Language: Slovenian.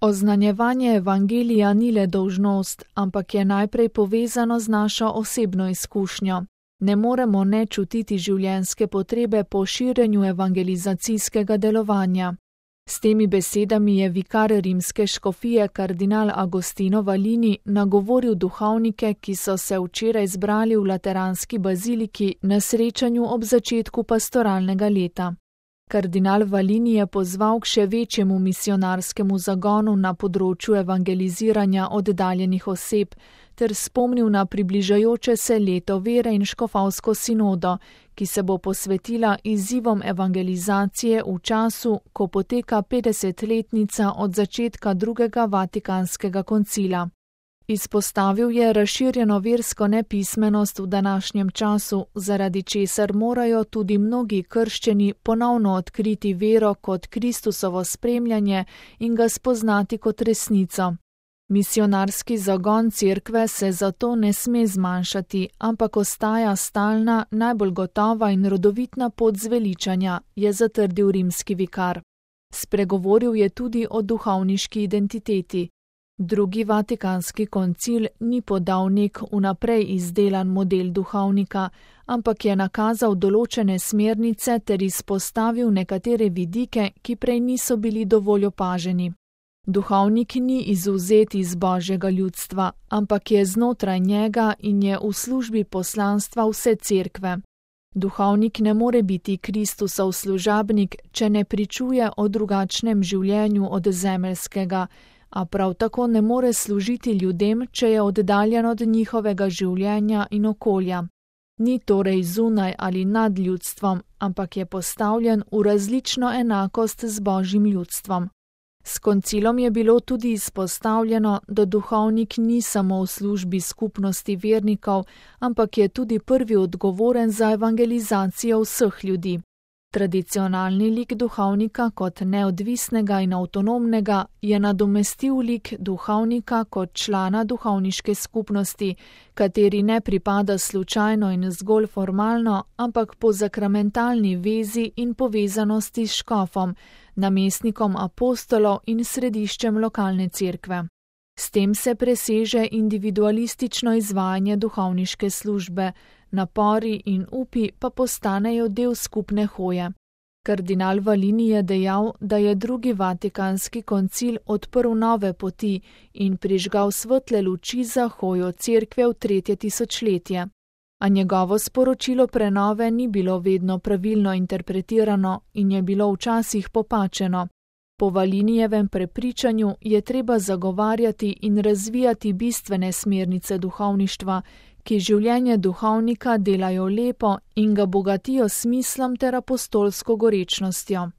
Oznanjevanje evangelija ni le dolžnost, ampak je najprej povezano z našo osebno izkušnjo. Ne moremo ne čutiti življenjske potrebe po širjenju evangelizacijskega delovanja. S temi besedami je vikar rimske škofije kardinal Agostino Valini nagovoril duhovnike, ki so se včeraj zbrali v Lateranski baziliki na srečanju ob začetku pastoralnega leta. Kardinal Valini je pozval k še večjemu misionarskemu zagonu na področju evangeliziranja oddaljenih oseb ter spomnil na približajoče se leto vere in škofovsko sinodo, ki se bo posvetila izzivom evangelizacije v času, ko poteka 50-letnica od začetka drugega Vatikanskega koncila. Izpostavil je razširjeno versko nepismenost v današnjem času, zaradi česar morajo tudi mnogi krščeni ponovno odkriti vero kot Kristusovo spremljanje in ga spoznati kot resnico. Misionarski zagon cerkve se zato ne sme zmanjšati, ampak ostaja stalna, najbolj gotova in rodovitna pot zveličanja, je zatrdil rimski vikar. Spregovoril je tudi o duhovniški identiteti. Drugi Vatikanski koncil ni podal nek vnaprej izdelan model duhovnika, ampak je nakazal določene smernice ter izpostavil nekatere vidike, ki prej niso bili dovolj opaženi. Duhovnik ni izvzet iz Božjega ljudstva, ampak je znotraj njega in je v službi poslanstva vse cerkve. Duhovnik ne more biti Kristusov služabnik, če ne pričuje o drugačnem življenju od zemeljskega, a prav tako ne more služiti ljudem, če je oddaljen od njihovega življenja in okolja. Ni torej zunaj ali nad ljudstvom, ampak je postavljen v različno enakost z Božjim ljudstvom. S koncilom je bilo tudi izpostavljeno, da duhovnik ni samo v službi skupnosti vernikov, ampak je tudi prvi odgovoren za evangelizacijo vseh ljudi. Tradicionalni lik duhovnika kot neodvisnega in avtonomnega je nadomestil lik duhovnika kot člana duhovniške skupnosti, kateri ne pripada slučajno in zgolj formalno, ampak po sakramentalni vezi in povezanosti s škofom, namestnikom apostolov in središčem lokalne cerkve. S tem se preseže individualistično izvajanje duhovniške službe, napori in upi pa postanejo del skupne hoje. Kardinal Valini je dejal, da je drugi Vatikanski koncil odprl nove poti in prižgal svetle luči za hojo cerkve v 3. tisočletje. A njegovo sporočilo prenove ni bilo vedno pravilno interpretirano in je bilo včasih popačeno. Po Valinijevem prepričanju je treba zagovarjati in razvijati bistvene smernice duhovništva, ki življenje duhovnika delajo lepo in ga bogatijo s smislom ter apostolsko gorečnostjo.